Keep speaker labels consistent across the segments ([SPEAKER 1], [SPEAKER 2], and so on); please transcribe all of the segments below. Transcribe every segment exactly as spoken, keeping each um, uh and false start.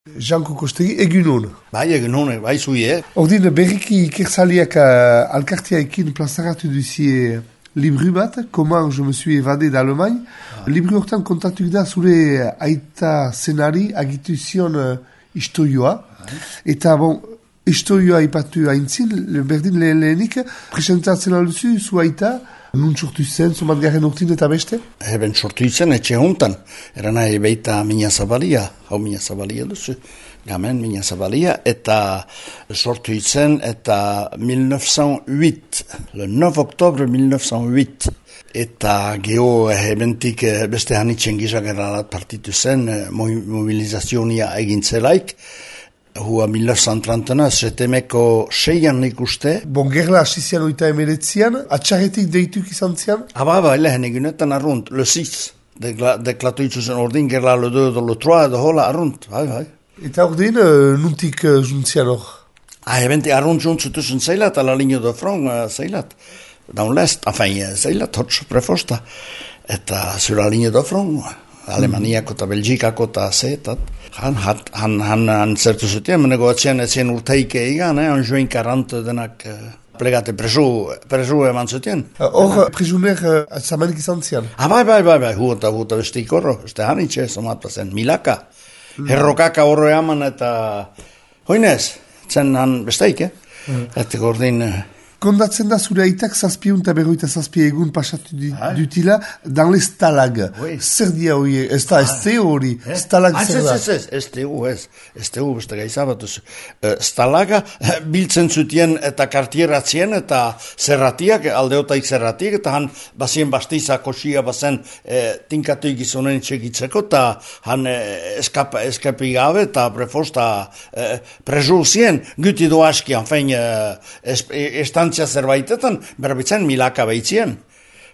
[SPEAKER 1] Janko Kostegi, egunon.
[SPEAKER 2] Bai, egunon, bai zuie.
[SPEAKER 1] Ordin, berriki ikersaliak uh, alkartiaekin plazaratu duzie libru bat, Comment je me suis évadé d'Allemagne. Ah. Libru hortan kontatuk da zure aita zenari agitu zion uh, istorioa. Ah. Eta, bon, istorioa ipatu haintzin, berdin lehen lehenik, presentatzen alduzu, zu aita, nun sortu zen, somat garen urtin eta beste?
[SPEAKER 2] Eben sortu zen, etxe hontan. Era nahi beita mina zabalia, hau mina zabalia duzu. Gamen mina zabalia, eta sortu zen, eta mille neuf cent huit, le neuf octobre mille neuf cent huit. Eta geho ebentik beste hanitzen gizageralat partitu zen, mobilizazionia egintzelaik, hua mille neuf cent trente-neuf, setemeko seian nik uste.
[SPEAKER 1] Bon, gerla asizian oita emeretzian, atxarretik deituk izan zian?
[SPEAKER 2] Aba, aba, lehen egunetan arrunt, le six, deklatu itzuzen ordin, gerla le deux, le trois, edo hola arrunt, bai, bai.
[SPEAKER 1] Eta ordin, uh, nuntik uh, juntzian hor?
[SPEAKER 2] Ah, ebenti arrunt juntzutuzen zeilat, ala linio de front uh, zeilat. Daun lest, afain, zeilat, hotz prefosta. Eta zura linio de front, Alemaniako eta Belgikako eta zeetat. Han, han, han, han zertu zutien, menego atzien etzien urteike egan, eh, han join karant denak uh, plegate presu, presu eman zutien.
[SPEAKER 1] Hor, uh, presumer uh, zamanik izan zian?
[SPEAKER 2] Ah, bai, bai, bai, bai, huota, huota bestik horro, este hanitxe, somat zen, milaka. Mm. Herrokaka horro eman eta, hoinez, zen han besteik, eh? Mm. Eta gordin... Uh,
[SPEAKER 1] Kondatzen da zure aitak zazpiun eta berroita zazpi egun pasatu dutila dan le stalag. Oui. Zer dia hori, ez da, ez te hori, eh? Stalag ah, zer da?
[SPEAKER 2] Ez, ez, ez, ez te hu, ez, ez te hu, beste gaizabatuz. Uh, stalaga biltzen zutien eta kartieratzien eta zerratiak, aldeotaik zerratiak, eta han bazien bastiza kosia bazen eh, tinkatu gizonen txekitzeko, eta han eh, eskap, eskapi gabe eta prefosta eh, prezu zien, guti doaski, anfein, eh, es, estan zerbaitetan, berbitzen milaka behitzien.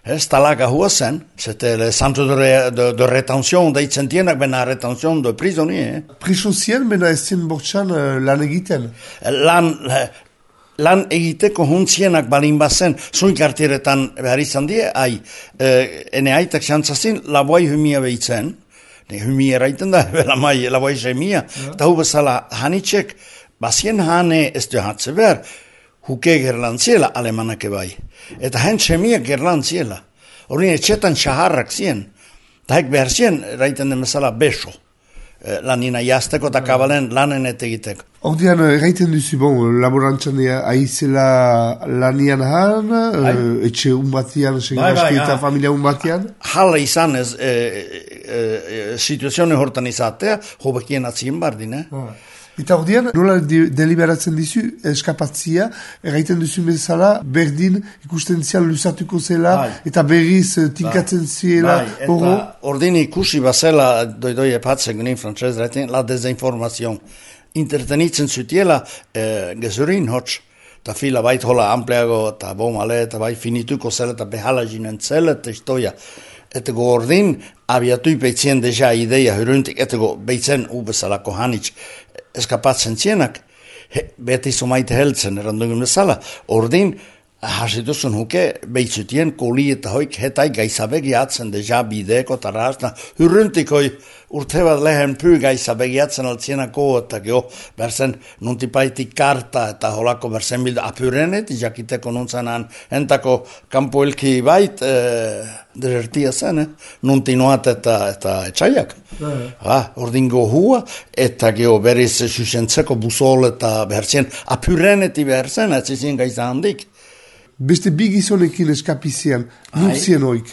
[SPEAKER 2] Ez talaga hua zen, zete le centre de, re, de, de retention deitzen dienak, bena retention de prisonnier. Eh?
[SPEAKER 1] Priso zien, bena ez zien bortxan uh, lan egiten?
[SPEAKER 2] Lan, lan egiteko huntzienak balin bazen, zuin kartieretan behar izan die, ai, eh, ene aitak xantzazin, laboai humia behitzen, ne humia eraiten da, lamai, laboai semia, eta hu bezala hanitxek, bazien hane ez du hatze behar, huke gerlan ziela alemanake bai. Eta hen txemiak gerlan ziela. Horien etxetan xaharrak zien. Ta hek behar zien, raiten den bezala beso. E, lanina jazteko eta kabalen lanen etegiteko.
[SPEAKER 1] Ordean, erraiten duzu, bon, laborantzan aizela lanian han, bai. Etxe unbatian, bai, bai, eta ha. Familia unbatian?
[SPEAKER 2] Hala izan ez, e, e, e, situazione hortan izatea, hobekien atzien bardin, eh? Ah.
[SPEAKER 1] Eta ordean, nola de, deliberatzen dizu eskapatzia, erraiten duzu bezala, berdin ikusten zian luzatuko zela, bai. Eta berriz tinkatzen bai. Ziela, bai. Eta
[SPEAKER 2] ordin ikusi bazela, doi-doi epatzen ginen frantzez, la dezinformazion. Intertenitzen zutiela eh, gezurin hotz, eta fila bait hola ampleago, eta bomale, eta bai finituko zela, eta behala jinen zela, eta istoia. Eta go ordin, abiatu ipeitzien deja ideia, huruntik, eta go beitzen ubezalako hanitz, eskapatzen zienak, he, beti somaite heltzen, erandungun bezala, ordin, hasituzun huke, beitzutien koli eta hoik, hetai gaizabegi atzen deja bideko eta razna, hurruntik hoi urte bat lehen py gaizabegi atzen altsienako, eta geho, berzen nuntipaitik karta eta holako berzen bilda apyrenet, jakiteko nuntzenan entako kampoelki bait, eh, desertia zen, eh? Nuntinoat eta, eta etxaiak. Ah, ordin gohua, eta geho berriz susentzeko busol eta berzen apyreneti berzen, etzizien gaiza handik.
[SPEAKER 1] Beste bi gizonekin eskapizian, nun zien hoik?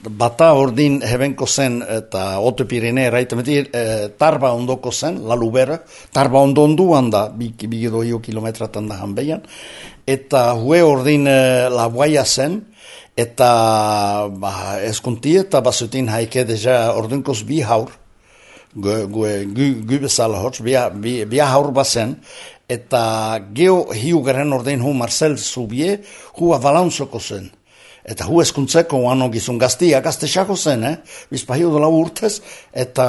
[SPEAKER 2] Bata ordin hebenko zen, eta Oto Pirene erraitemetir, e, tarba ondoko zen, la lubera, tarba ondo onduan da, bi, bi doio kilometratan da hanbeian, eta hue ordin e, la guaia zen, eta ba, eskunti eta basutin haike deja ordinkoz bi haur, gu, gu, gu, gu bezala hotz, bi, bi, bi haur bazen, eta geho hiu garen ordein hu Marcel Zubie, hu avalanzoko zen. Eta hu eskuntzeko uano gizun gaztia, gaztexako zen, eh? Bizpa hiu dola urtez, eta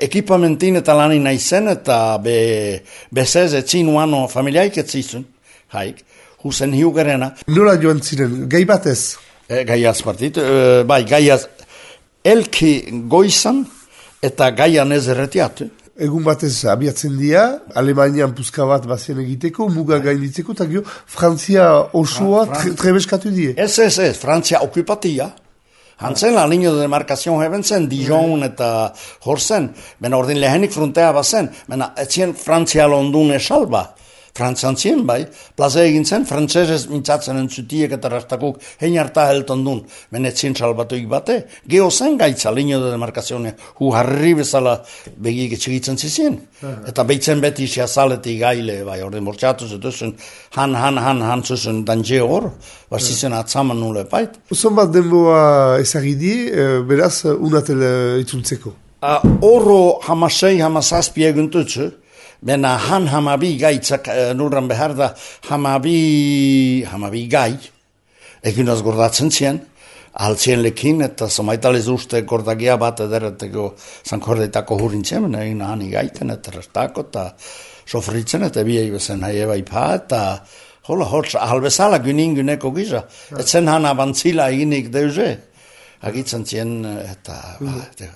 [SPEAKER 2] ekipamentin eta lanin nahi zen, eta be, bezez etzin uano familiaik etzizun, haik, hu zen hiu garena.
[SPEAKER 1] Nola joan ziren, gai batez?
[SPEAKER 2] E, gai azpartit, e, bai, gai az, elki goizan, eta gaian ez erretiatu.
[SPEAKER 1] egun batez abiatzen dira, Alemanian puzka bat bazien egiteko, muga gainditzeko, eta gero Frantzia osoa
[SPEAKER 2] Fra-
[SPEAKER 1] tre, trebeskatu die.
[SPEAKER 2] Ez, ez, ez, Frantzia okupatia. Hantzen la linio de demarcación heben zen, Dijon eta Horsen, bena ordin lehenik frontea bazen, bena etzien Frantzia londune salba. Frantzian zien bai, plaza egin zen, frantzesez mintzatzen entzutiek eta rastakuk hein harta helton dun, bena etzien salbatuik bate. Geo zen gaitza linio de demarcación, hu harri bezala begik etxigitzen zizien. Eta beitzen beti siazaletik gaile, bai, ordin bortxatu zutuzun, han, han, han, han zuzun danje hor, barzizen atzaman nule bait.
[SPEAKER 1] Zon bat denboa ezagidi, eh, beraz, unatel itzultzeko.
[SPEAKER 2] Uh, oro hamasei hamasazpi eguntutzu, bena han hamabi gaitzak uh, nurran behar da hamabi, hamabi gai, egunaz gordatzen zien, altzien lekin, eta somaitalez uste gordagia bat edereteko zankordeitako hurintzen, bena egin hani gaiten, eta restako, eta sofritzen, eta biei bezen haieba ipa, eta hola hotz, ahalbezala gynin gyneko giza, etzen han abantzila eginik deuze, agitzen zien, eta... ba,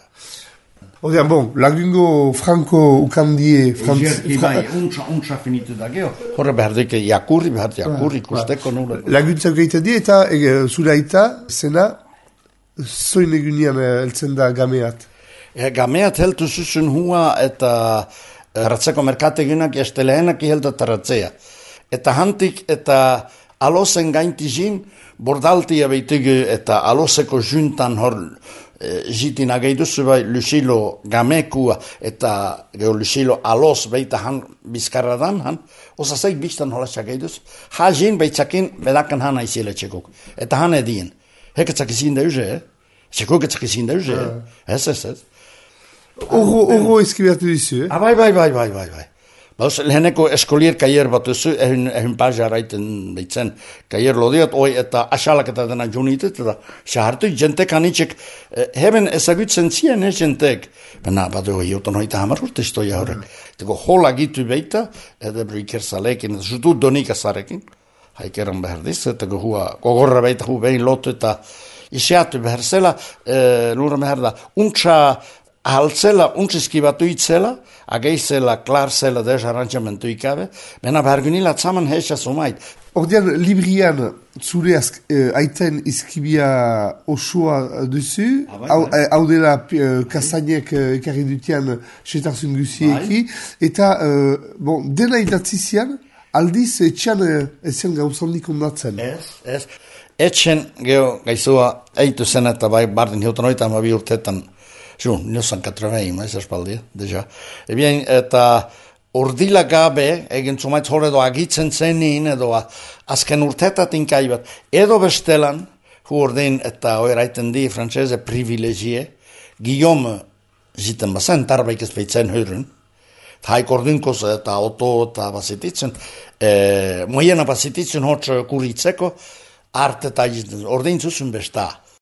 [SPEAKER 1] Odean, bon, lagungo Franco ukandie... Frantz...
[SPEAKER 2] Jerki bai, untsa, untsa finitu da geho. Horre behar dike jakurri, behar jakurri, ikusteko nule.
[SPEAKER 1] Laguntzak egiten die, eta e, zure aita, zena, zoin egunian heltzen da gameat.
[SPEAKER 2] E, gameat heltu zuzun hua eta ratzeko merkategunak este lehenak iheldu eta ratzea. Eta hantik eta alosen gaintizin, bordaltia beitigi eta aloseko juntan hor jitin ageiduzu bai Lucilo gamekua eta gero Lucilo alos beita han bizkarradan han, osa zeik biztan hola txageiduz, hajin beitzakin bedakan han aizile txekuk. Eta han edien. Heketzak izin deuze, eh? Txekuk etzak izin deuze, eh? Ez, ez, ez.
[SPEAKER 1] Oro, oro eskibertu dizu, eh?
[SPEAKER 2] Ah, bai, bai, bai, bai, bai, bai. Bauz, leheneko eskolier kaier bat duzu, ehun, ehun pazia raiten beitzen kaier lodiot, oi eta asalak eta dena junitet, eta xahartu jentek hanitxek, eh, heben ezagutzen zien, eh, jentek. Bena, badu, jotan hoita hamar urte istoia horrek. Tego hola gitu beita, edebru ikerzalekin, eta zutu donik azarekin, haikeran behar diz, eta hua, gogorra beita hu behin lotu eta isiatu behar zela, eh, lura behar da, untxa, ahaltzela, untziski batu itzela, ageizela, klarzela, dez arrantzamentu ikabe, bena behargunila tzaman heisa sumait.
[SPEAKER 1] Ordean, librian zure azk, eh, aiten izkibia osoa duzu,
[SPEAKER 2] Ah, bai,
[SPEAKER 1] hau
[SPEAKER 2] bai.
[SPEAKER 1] hau dela eh, kasainek eh, ekarri dutian setarzun guzieki, eta, eh, bon, dena idatzizian, aldiz etxan eh, ezen gauzandik ondatzen.
[SPEAKER 2] Ez, ez. Etxen, geho, gaizua, eitu zen eta bai, bardin hilton oita ama bi urtetan, Ju, niosan katravein, ez espaldia, deja. Ebien, eta urdila gabe, egin zumaitz hor edo agitzen zenin, edo azken urtetatin kaibat, edo bestelan, hu ordin eta oiraiten di, frantzese privilegie, Guillaume ziten bazen, tarbaik ez beitzen hörün, haik ordinkoz eta auto eta basititzen, e, moiena basititzen hotz kuritzeko, arte eta ordin zuzun besta.